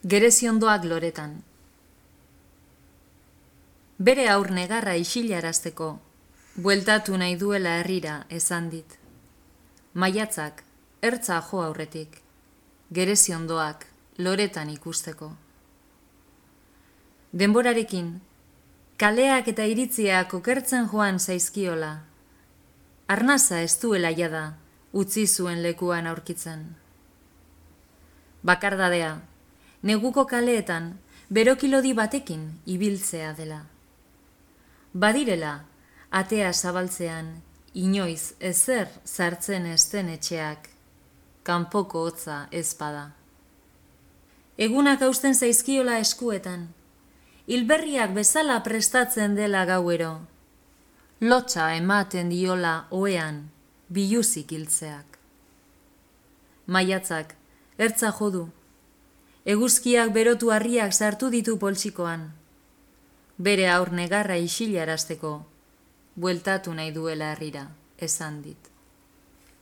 Gereziondoak loretan. Bere aur negarra isilarazteko, bueltatu nahi duela herrira esan dit. Maiatzak, ertza jo aurretik, gereziondoak loretan ikusteko. Denborarekin, kaleak eta iritziak okertzen joan zaizkiola. Arnaza ez duela jada, utzi zuen lekuan aurkitzen. Bakardadea, neguko kaleetan, berokilodi batekin ibiltzea dela. Badirela, atea zabaltzean, inoiz ezer sartzen ez den etxeak, kanpoko hotza ez bada. Egunak hausten zaizkiola eskuetan, hilberriak bezala prestatzen dela gauero, lotsa ematen diola ohean, biluzik hiltzeak. Maiatzak, ertza jodu, eguzkiak berotu harriak sartu ditu poltsikoan, bere aur negarra isilarazteko, bueltatu nahi duela herrira, esan dit.